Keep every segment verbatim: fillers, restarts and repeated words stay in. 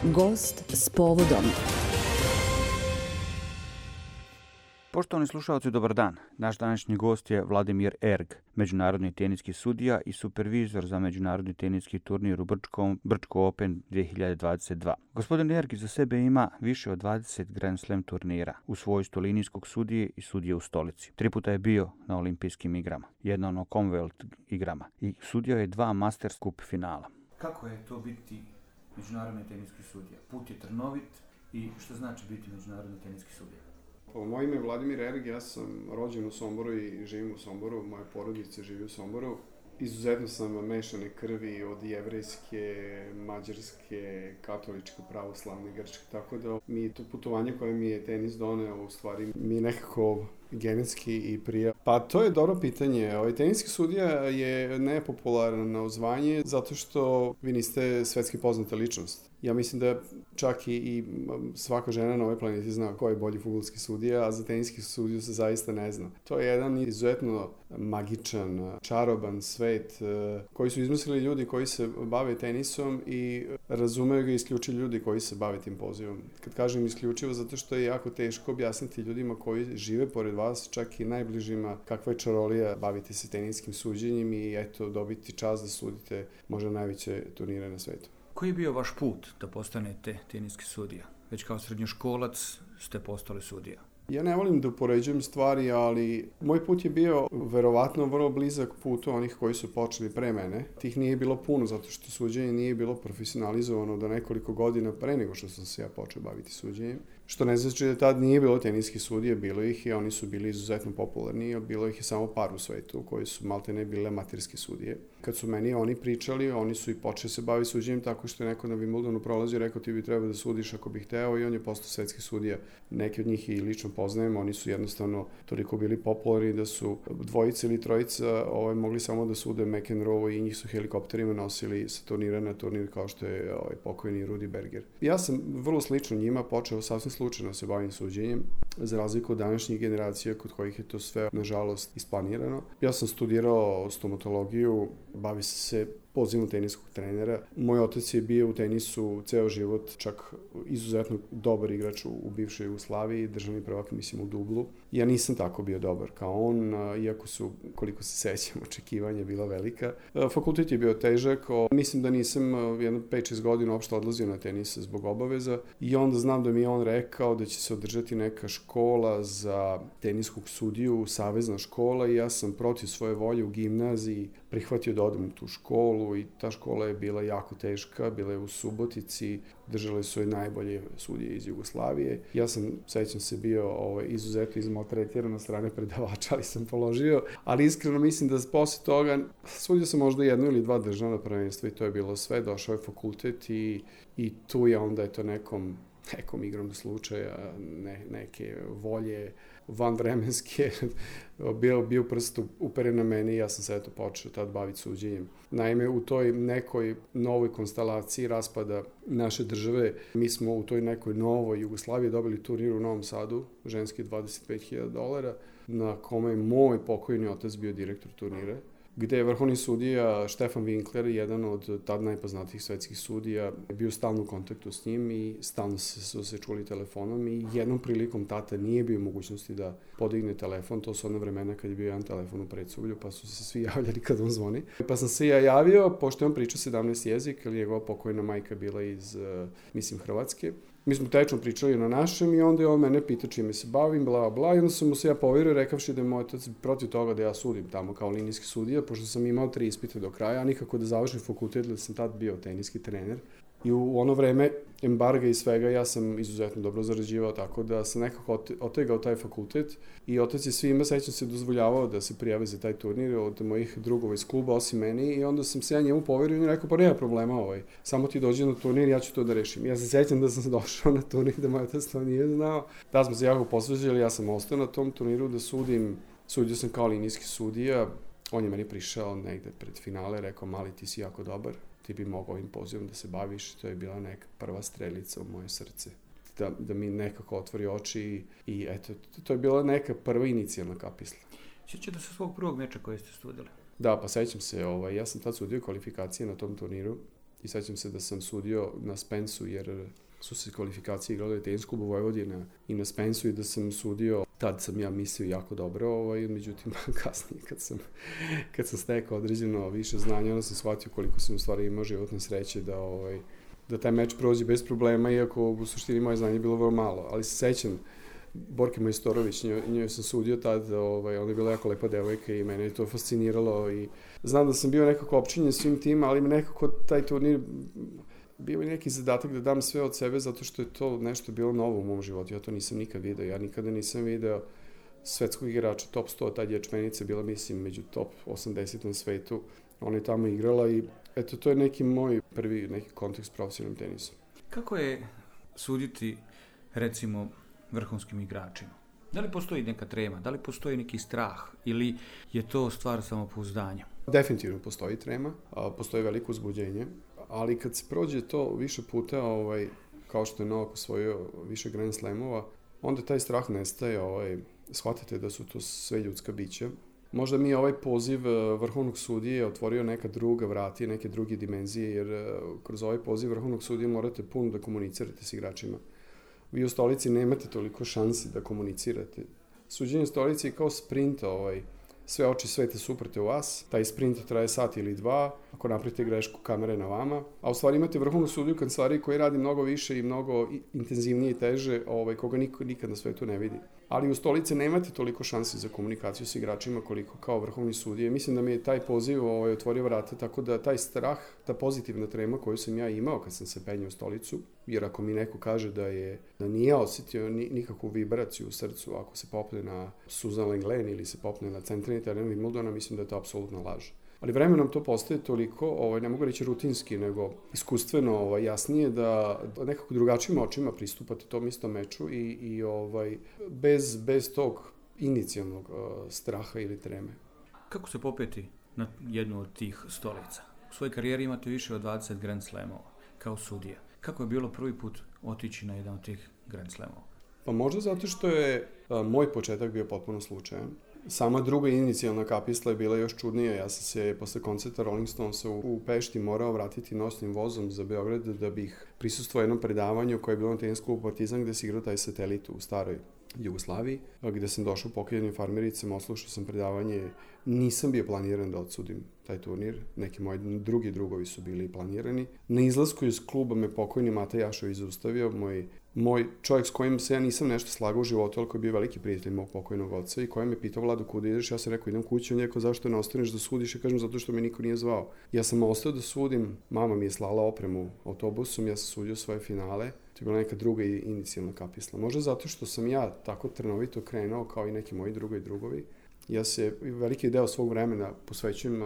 Gost s povodom. Poštovani slušalci, dobar dan. Naš današnji gost je Vladimir Erg, međunarodni teniski sudija i supervizor za međunarodni teniski turnir u Brčkom, Brčko Open dvije hiljade dvadeset dva. Gospodin Erg iza sebe ima više od dvadeset Grand Slam turnira u svojstvu linijskog sudije i sudije u stolici. Tri puta je bio na olimpijskim igrama, jednom na Commonwealth igrama i sudio je dva Masters Cup finala. Kako je to biti međunarodni teniski sudija? Put je trnovit i što znači biti međunarodni teniski sudija? Moje ime je Vladimir Erg, ja sam rođen u Somboru i živim u Somboru, moja porodica živi u Somboru. Izuzetno sam mešane krvi od jevrejske, mađarske, katoličke, pravoslavne, grčke, tako da mi to putovanje koje mi je tenis doneo, u stvari mi je nekako genetski i prija. Pa to je dobro pitanje. Ovaj teniski sudija je nepopularno zvanje zato što vi niste svetski poznata ličnost. Ja mislim da čak i, i svaka žena na ovoj planeti zna ko je bolji fudbalski sudija, a za teniski sudiju se zaista ne zna. To je jedan izuzetno magičan, čaroban svet koji su izmislili ljudi koji se bave tenisom i razumeju ga isključivo ljudi koji se bave tim pozivom. Kad kažem isključivo, zato što je jako teško objasniti ljudima koji žive pored vas, čak i najbližima, kakva je čarolija baviti se teniskim suđenjem i eto dobiti čast da sudite možda najveće turnire na svetu. Koji je bio vaš put da postanete teniski sudija? Već kao srednjoškolac ste postali sudija. Ja ne volim da upoređujem stvari, ali moj put je bio verovatno vrlo blizak putu onih koji su počeli pre mene. Tih nije bilo puno, zato što suđenje nije bilo profesionalizovano do nekoliko godina pre nego što sam se ja počeo baviti suđenjem. Što ne znači da tad nije bilo teniskih sudija, bilo ih i oni su bili izuzetno popularni, a bilo ih je samo par u svetu koji su malte ne bile amaterske sudije. Kad su meni oni pričali, oni su i počeli se baviti suđenjem tako što je neko na Wimbledonu prolazio i rekao ti bi trebao da sudiš ako bih hteo i on je postao svetski sudija. Neki od njih i lično poznajem, oni su jednostavno toliko bili popularni da su dvojica ili trojica ovaj, mogli samo da sude McEnroe i njih su helikopterima nosili sa turnira na turnir kao što je ovaj, pokojni Rudy Berger. Ja sam vrlo slično njima počeo sasvim slučajno se bavim suđenjem, za razliku od današnjih generacija kod kojih je to sve, nažalost, isplanirano. Ja sam studirao stomatologiju, bavi se pozivom teniskog trenera. Moj otac je bio u tenisu ceo život, čak izuzetno dobar igrač u bivšoj Jugoslaviji, državni prvak, mislim, u dublu. Ja nisam tako bio dobar kao on, iako su, koliko se sećam, očekivanja bila velika. Fakultet je bio težak, mislim da nisam jedno pet šest godina uopšte odlazio na tenis zbog obaveza i onda znam da mi je on rekao da će se održati neka škola za teniskog sudiju, savezna škola i ja sam protiv svoje volje u gimnaziji prihvatio da odem u tu školu i ta škola je bila jako teška, bila je u Subotici, držale su je najbolje sudije iz Jugoslavije. Ja sam, sećam se, bio ovaj, izuzetno izmaltretiran na strane predavača, ali sam položio, ali iskreno mislim da posle toga sudio sam možda jedno ili dva državna prvenstva i to je bilo sve, došao je fakultet i, i tu je onda eto nekom nekom igrom slučaja, ne, neke volje vanvremenske, bio, bio prst uperen na mene i ja sam se eto počeo tad baviti suđenjem. Naime, u toj nekoj novoj konstelaciji raspada naše države, mi smo u toj nekoj novoj Jugoslaviji dobili turnir u Novom Sadu, ženski dvadeset pet hiljada dolara, na kome je moj pokojni otac bio direktor turnira, gde je vrhovni sudija Štefan Winkler, jedan od tad najpoznatijih svetskih sudija, bio stalno u kontaktu s njim i stalno su se čuli telefonom i jednom prilikom tata nije bio u mogućnosti da podigne telefon, to su ona vremena kad je bio jedan telefon u Predsublju, pa su se svi javljali kad on zvoni. Pa sam se ja javio, pošto je on pričao sedamnaest jezik, jer njegova pokojna majka bila iz, mislim, Hrvatske. Mi smo tečno pričali na našem i onda je on mene pitao čime se bavim, bla, bla, i onda sam mu se ja poverio rekavši da je moj otac protiv toga da ja sudim tamo kao linijski sudija, pošto sam imao tri ispita do kraja, a nikako da završim fakultet, da sam tad bio teniski trener. I u ono vreme embarga i svega ja sam izuzetno dobro zarađivao, tako da sam nekako otegao taj fakultet i otac je svima, sećam se, dozvoljavao da se prijave za taj turnir od mojih drugova iz kluba, osim meni, i onda sam se ja njemu poverio i on je rekao, pa nema problema, ovaj, samo ti dođi na turnir, ja ću to da rešim. Ja se sećam da sam došao na turnir, da moj otac to nije znao. Da smo se jako posveđali, ja sam ostao na tom turniru da sudim, sudio sam kao linijski sudija, on je meni prišao negde pred finale, rekao, mali, ti si jako dobar, ti bi mogao ovim pozivom da se baviš, to je bila neka prva strelica u moje srce. Da, da mi nekako otvori oči i, i eto, to je bila neka prva inicijalna kapisla. Sjećate se svog prvog meča koji ste studili? Da, pa sećam se, ovaj, ja sam tad sudio kvalifikacije na tom turniru I sećam se da sam sudio na Spensu, jer su se kvalifikacije igrale tenis klubu Vojvodina i na Spensu i da sam sudio, tad sam ja mislio jako dobro, ovaj, međutim kasnije kad sam, kad sam stekao određeno više znanja, onda sam shvatio koliko sam u stvari imao životne sreće da, ovaj, da taj meč prođe bez problema, iako u suštini moje znanje je bilo vrlo malo, ali se sećam Borke Majstorović, njoj, njoj sam sudio tad, ovaj, ona je bila jako lepa devojka i mene je to fasciniralo i znam da sam bio nekako opčinjen svim tim, ali nekako taj turnir bio je neki zadatak da dam sve od sebe zato što je to nešto bilo novo u mom životu, ja to nisam nikad video, ja nikada nisam video svetskog igrača top sto, tad je Čmenica bila mislim među top osamdeset na svetu, ona je tamo igrala i eto to je neki moj prvi neki kontakt s profesionalnim tenisom. Kako je suditi recimo vrhunskim igračima? Da li postoji neka trema, da li postoji neki strah ili je to stvar samopouzdanja? Definitivno postoji trema, postoji veliko uzbuđenje, ali kad se prođe to više puta, ovaj, kao što je Novak osvojio više Grand Slamova, onda taj strah nestaje, ovaj, shvatite da su to sve ljudska bića. Možda mi ovaj poziv vrhovnog sudije otvorio neka druga vrata, neke druge dimenzije, jer kroz ovaj poziv vrhovnog sudije morate puno da komunicirate s igračima. Vi u stolici nemate toliko šansi da komunicirate. Suđenje stolici je kao sprint, ovaj, sve oči sveta su uprte u vas, taj sprint traje sat ili dva, ako napravite grešku, kamera je na vama, a u stvari imate vrhovnu sudiju u kancelariji koji radi mnogo više i mnogo intenzivnije i teže, ovaj, koga niko nikad na svetu ne vidi. Ali u stolici nemate toliko šansi za komunikaciju s igračima koliko kao vrhovni sudije. Mislim da mi je taj poziv ovaj, otvorio vrata, tako da taj strah, ta pozitivna trema koju sam ja imao kad sam se penjao u stolicu, jer ako mi neko kaže da je da nije osjetio ni, nikakvu vibraciju u srcu ako se popne na Susan Lenglen ili se popne na centralni teren Wimbledona, mislim da je to apsolutna laž. Ali vremenom to postaje toliko, ovaj, ne mogu reći rutinski, nego iskustveno ovaj, jasnije da, da nekako drugačijim očima pristupate tom istom meču i, i ovaj, bez, bez tog inicijalnog uh, straha ili treme. Kako se popeti na jednu od tih stolica? U svojoj karijeri imate više od dvadeset Grand Slamova kao sudija. Kako je bilo prvi put otići na jedan od tih Grand Slamova? Pa možda zato što je uh, moj početak bio potpuno slučajan. Sama druga inicijalna kapisla je bila još čudnija. Ja sam se posle koncerta Rolling Stonesa u, u Pešti morao vratiti nosnim vozom za Beograd da bih prisustvovao jednom predavanju koje je bilo na tenis klubu Partizan gde se igrao taj satelit u staroj Jugoslaviji, gde sam došao pokrijenim farmericama, oslušao sam predavanje. Nisam bio planiran da odsudim taj turnir, neki moji drugi drugovi su bili planirani. Na izlasku iz kluba me pokojni Mata Jašović zaustavio, moj, moj čovjek s kojim se ja nisam nešto slagao u životu, ali koji je bio veliki prijatelj mog pokojnog oca i koji me pitao: Vlado, kuda ideš? Ja sam rekao: idem kući. On je rekao: zašto ne ostaneš da sudiš? Ja kažem: zato što me niko nije zvao. Ja sam ostao da sudim, mama mi je slala opremu autobusom, ja sam sudio svoje finale. To je bila neka druga inicijalna kapisla. Možda zato što sam ja tako trnovito krenuo kao i neki moji drugi drugovi. Ja se veliki deo svog vremena posvećujem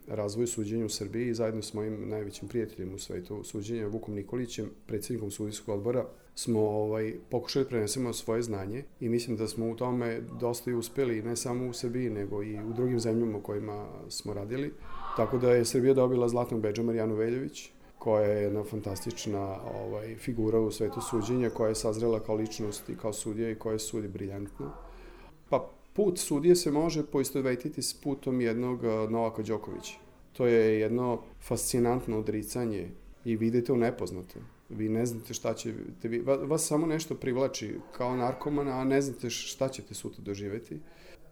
razvoju suđenja u Srbiji i zajedno s mojim najvećim prijateljem u svetu suđenja, Vukom Nikolićem, predsjednikom sudijskog odbora, smo ovaj, pokušali prenesemo svoje znanje i mislim da smo u tome dosta i uspeli, ne samo u Srbiji, nego i u drugim zemljama u kojima smo radili. Tako da je Srbija dobila zlatnog bedža Marijanu Veljović, koja je jedna fantastična ovaj, figura u svetu suđenja, koja je sazrela kao ličnost i kao sudija i koja sudi briljantno. Pa put sudije se može poistovetiti s putom jednog Novaka Đokovića. To je jedno fascinantno odricanje i vidite u nepoznato. Vi ne znate šta će, vi, vas samo nešto privlači kao narkomana, a ne znate šta ćete sutra doživeti.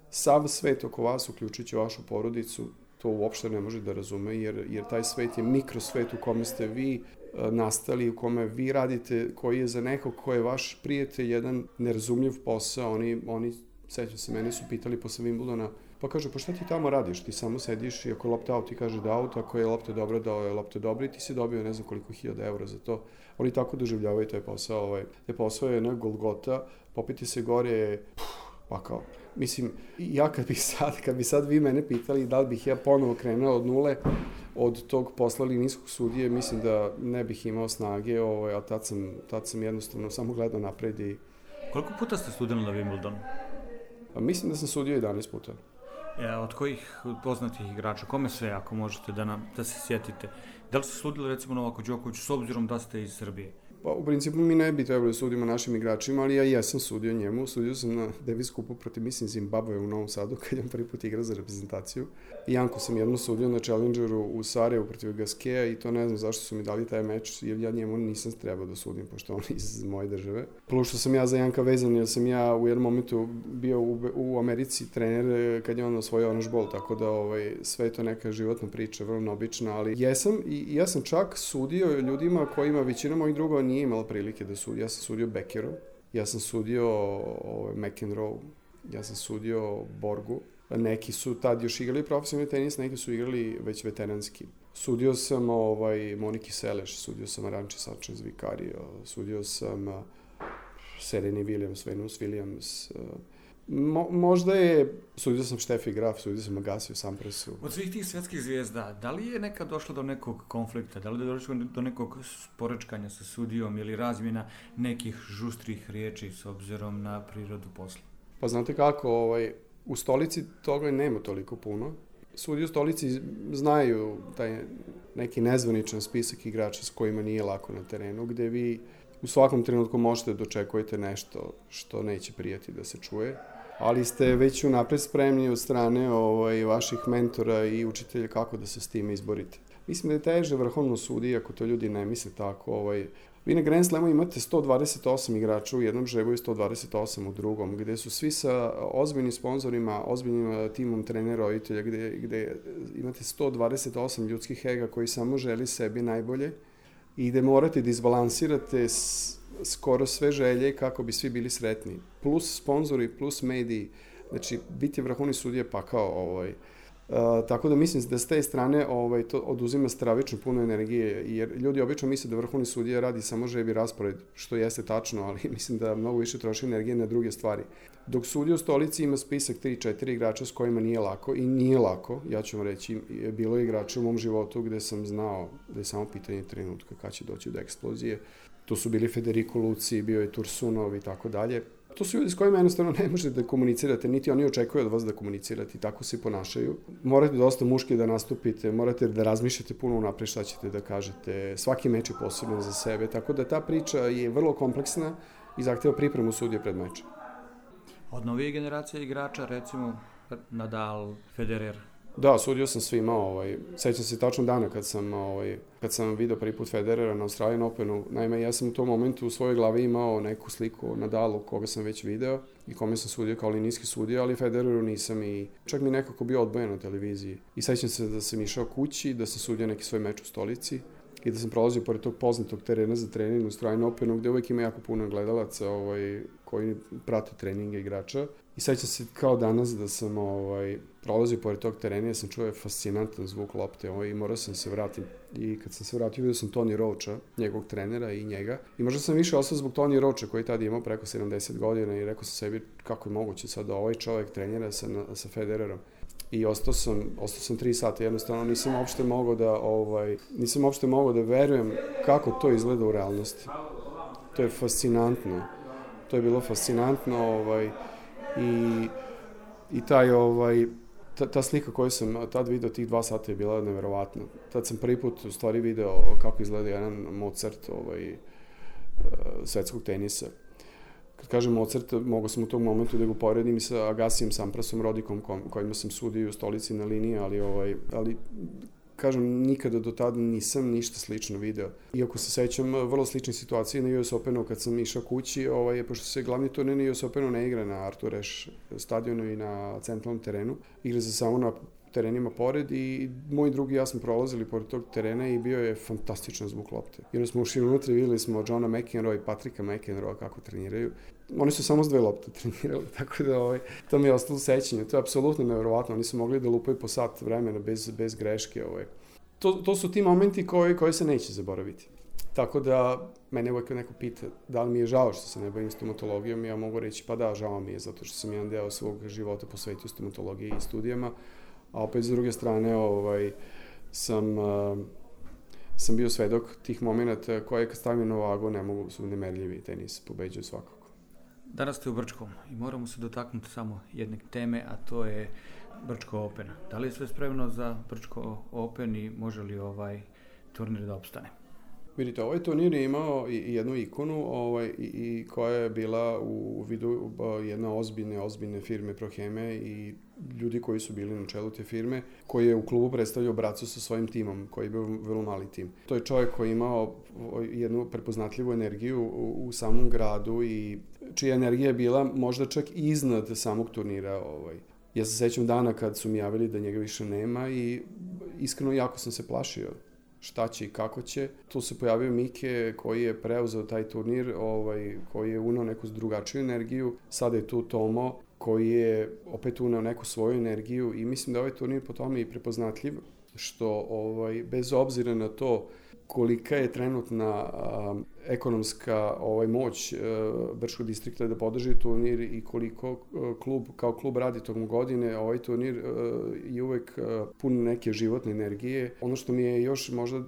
Sav svet oko vas, uključujući vašu porodicu, to uopšte ne može da razume, jer, jer taj svet je mikrosvet u kome ste vi nastali, u kome vi radite, koji je za nekog ko je vaš prijatelj jedan nerazumljiv posao. Oni, oni sećam se, mene su pitali posle Wimbledona, pa kaže: pa šta ti tamo radiš? Ti samo sediš i ako je lopta out, ti kaže da out, ako je lopta dobra, da je lopta dobra i ti si dobio ne znam koliko hiljada eura za to. Oni tako doživljavaju taj posao. Ovaj. Taj posao je jedna golgota, popiti se gore, pa kao, mislim, ja kad bi sad, kad bi sad vi mene pitali da li bih ja ponovo krenuo od nule, od tog posla linijskog sudije, mislim da ne bih imao snage, ovaj, a tad sam, tad sam jednostavno samo gledao napred i... Koliko puta ste studili na Wimbledonu? A mislim da sam sudio jedanaest puta. E, od kojih poznatih igrača, kome sve, ako možete da, nam, da se sjetite? Da li ste sudili recimo Novaku Đokoviću s obzirom da ste iz Srbije? Pa u principu mi ne bi trebali da sudimo našim igračima, ali ja jesam sudio njemu. Sudio sam na Davis kupu protiv, mislim, Zimbabwe u Novom Sadu, kad je on prvi put igra za reprezentaciju. I Janko sam jedno sudio na Challengeru u Sarajevu protiv Gaskeja i to ne znam zašto su mi dali taj meč, jer ja njemu nisam trebao da sudim, pošto on iz moje države. Plus što sam ja za Janka vezan, jer sam ja u jednom momentu bio u, u Americi trener kad je on osvojio Orange Bowl, tako da ovaj, sve je to neka životna priča, vrlo neobična, ali jesam i ja sam čak sudio ljudima kojima većina mojih drugova nije imala prilike da sudi. Ja sam sudio Beckeru, ja sam sudio ovaj, McEnroe, ja sam sudio Borgu. Neki su tad još igrali profesionalni tenis, neki su igrali već veteranski. Sudio sam ovaj, Moniki Seleš, sudio sam Aranči Sanchez Vicario, sudio sam uh, Sereni Williams, Venus Williams. Uh, mo, možda je, sudio sam Steffi Graf, sudio sam Agassi u Samprasu. Od svih tih svetskih zvijezda, da li je nekad došlo do nekog konflikta, da li je došlo do nekog sporečkanja sa sudijom ili razmjena nekih žustrih riječi s obzirom na prirodu posla? Pa znate kako, ovaj, u stolici toga nema toliko puno. Sudije u stolici znaju taj neki nezvaničan spisak igrača s kojima nije lako na terenu, gde vi u svakom trenutku možete da očekujete nešto što neće prijati da se čuje, ali ste već unapred spremni od strane ovaj, vaših mentora i učitelja kako da se s time izborite. Mislim da je teže vrhovno sudi, ako to ljudi ne misle tako. Ovaj, vi na Grand Slamu imate sto dvadeset osam igrača u jednom žrebu i sto dvadeset osam u drugom, gde su svi sa ozbiljnim sponzorima, ozbiljnim timom trenera, roditelja, gde, gde imate sto dvadeset osam ljudskih ega koji samo želi sebi najbolje i gde morate da izbalansirate s, skoro sve želje kako bi svi bili sretni. Plus sponzori, plus mediji. Znači, biti vrhovni sudija pa kao ovaj, Uh, tako da mislim da s te strane ovaj, to oduzima stravično puno energije, jer ljudi obično misle da vrhovni sudija radi samo žrebi raspored, što jeste tačno, ali mislim da mnogo više troši energije na druge stvari. Dok sudija u stolici ima spisak tri četiri igrača s kojima nije lako, i nije lako, ja ću vam reći, bilo je igrača u mom životu gde sam znao da je samo pitanje trenutka kad će doći do eksplozije. To su bili Federico Luci, bio je Tursunov i tako dalje. To su ljudi s kojima jednostavno ne možete da komunicirate, niti oni očekuju od vas da komunicirate i tako se i ponašaju. Morate dosta muški da nastupite, morate da razmišljate puno unapred šta ćete da kažete. Svaki meč je posebno za sebe, tako da ta priča je vrlo kompleksna i zahteva pripremu sudije pred mečem. Od novije generacije igrača, recimo Nadal, Federer? Da, sudio sam svima, ovaj, sećam se tačno dana kad sam, ovaj, kad sam video prvi put Federera na Australian Openu. Naime, ja sam u tom momentu u svojoj glavi imao neku sliku Nadalu koga sam već video i kome sam sudio kao linijski sudija, ali Federeru nisam i čak mi nekako bio odbojen na televiziji. I sećam se da sam išao kući, da sam sudio neki svoj meč u stolici i da sam prolazio pored tog poznatog terena za trening u Australian Openu, gde uvek ima jako puno gledalaca ovaj, koji prate treninge igrača. I sećam se kao danas da sam ovaj, prolazio pored tog terena, ja sam čuo fascinantan zvuk lopte ovaj, i morao sam se vratiti. I kad sam se vratio, vidio sam Tony Roacha, njegovog trenera i njega. I možda sam više ostao zbog Tony Roacha koji tada imao preko sedamdeset godina i rekao sam sebi kako je moguće sad da ovaj čovjek trenira sa, sa Federerom. I ostao sam, ostao sam tri sata, jednostavno nisam uopšte mogao da, ovaj, nisam uopšte mogao da verujem kako to izgleda u realnosti. To je fascinantno. To je bilo fascinantno, ovaj, i, i taj, ovaj, ta, ta slika koju sam tad video, tih dva sata je bila neverovatna. Tad sam prvi put u stvari video kako izgleda jedan Mozart ovaj, svetskog tenisa. Kad kažem Mozart, mogu sam u tom momentu da ga poredim i sa Agassijem Samprasom, Rodikom, kojima sam sudio u stolici na liniji, ali, ovaj, ali kažem, nikada do tada nisam ništa slično video. Iako se sećam vrlo slične situacije na U S Openu kad sam išao kući, ovaj, pošto se glavni turnir na U S Openu ne igra na Arthur Ashe stadionu i na centralnom terenu, igra se samo na terenima pored i moji drugi i ja smo prolazili pored tog terena i bio je fantastičan zvuk lopte. I onda smo ušli unutra i videli smo Johna McEnroe i Patricka McEnroe kako treniraju. Oni su samo s dve lopte trenirali, tako da ovaj, to mi je ostalo sećanje. To je apsolutno nevjerovatno, oni su mogli da lupaju po sat vremena bez, bez greške. Ovaj. To, to su ti momenti koji, koji se neće zaboraviti. Tako da, mene uvijek neko pita da li mi je žao što se ne bavim stomatologijom, ja mogu reći pa da, žao mi je, zato što sam jedan deo svog života posvetio stomatologiji i studijama, a opet s druge strane ovaj, sam, uh, sam bio svedok tih momenta koje kad stavim na vagu ne mogu, su nemerljivi, tenis pobeđuje svakako. Danas ste u Brčkom i moramo se dotaknuti samo jedne teme, a to je Brčko Open. Da li je sve spremno za Brčko Open i može li ovaj turnir da opstane? Vidite, ovaj turnir je imao i jednu ikonu ovaj, i, i koja je bila u vidu jedne ozbiljne, ozbiljne firme Proheme i ljudi koji su bili na čelu te firme, koji je u klubu predstavljao bracu sa svojim timom, koji je bio vrlo mali tim. To je čovjek koji je imao jednu prepoznatljivu energiju u, u samom gradu i čija energija je bila možda čak iznad samog turnira. Ovaj. Ja se sećam dana kad su mi javili da njega više nema i iskreno jako sam se plašio šta će i kako će. Tu se pojavio Mike koji je preuzeo taj turnir, ovaj, koji je unao neku drugačiju energiju. Sada je tu Tomo koji je opet unao neku svoju energiju i mislim da ovaj turnir po tome i prepoznatljiv, što ovaj, bez obzira na to kolika je trenutna a, ekonomska ovaj, moć a, Brčkog distrikta da podrži turnir i koliko a, klub kao klub radi tokom godine, ovaj turnir a, je uvek a, pun neke životne energije. Ono što mi je još možda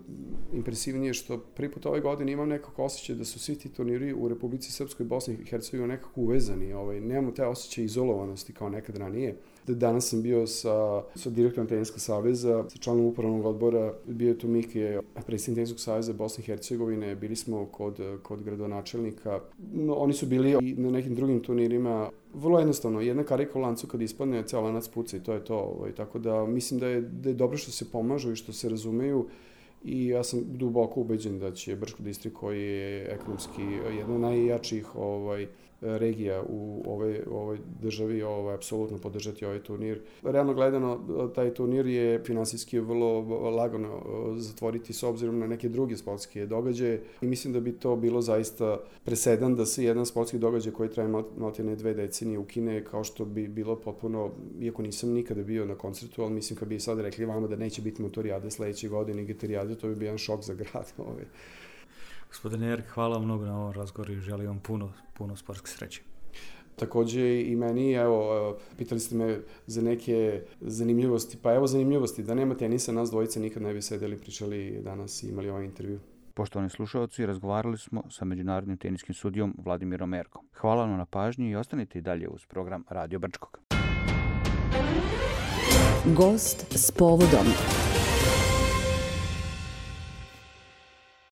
impresivnije što prvi put ove godine imam nekako osjećaj da su svi ti turniri u Republici Srpskoj, Bosni i Hercegovini nekako uvezani. Ovaj, nemamo te osjećaje izolovanosti kao nekad ranije. Danas sam bio sa, sa direktorom Teniskog saveza, sa članom upravnog odbora, bio je tu Mike, predsjednik Teniskog saveza Bosne i Hercegovine, bili smo kod, kod gradonačelnika. No, oni su bili i na nekim drugim turnirima. Vrlo jednostavno, jedna karika u lancu kad ispadne, ceo lanac puca i to je to. Ovaj, tako da mislim da je, da je dobro što se pomažu i što se razumeju. I ja sam duboko ubeđen da će Brčko distrikt, koji je ekonomski jedna od najjačih ovaj, regija u ovoj, ovoj državi, ovaj, apsolutno podržati ovaj turnir. Realno gledano, taj turnir je finansijski vrlo lagano zatvoriti s obzirom na neke druge sportske događaje i mislim da bi to bilo zaista presedan da se jedan sportski događaj koji traje maltene dve decenije ukine, kao što bi bilo potpuno, iako nisam nikada bio na koncertu, ali mislim kad bi sad rekli vama da neće biti motorijade sledeće godine i gitarijade, to bi bio jedan šok za grad. Ovaj. Gospodine Erk, hvala vam mnogo na ovom razgovoru i želim vam puno, puno sportske sreće. Takođe i meni, evo, pitali ste me za neke zanimljivosti, pa evo zanimljivosti, da nema tenisa, nas dvojice nikad ne bi sedeli, pričali danas i imali ovaj intervju. Poštovani slušalci, razgovarali smo sa međunarodnim teniskim sudijom Vladimirom Erkom. Hvala vam na pažnji i ostanite i dalje uz program Radio Brčkog. Gost s povodom.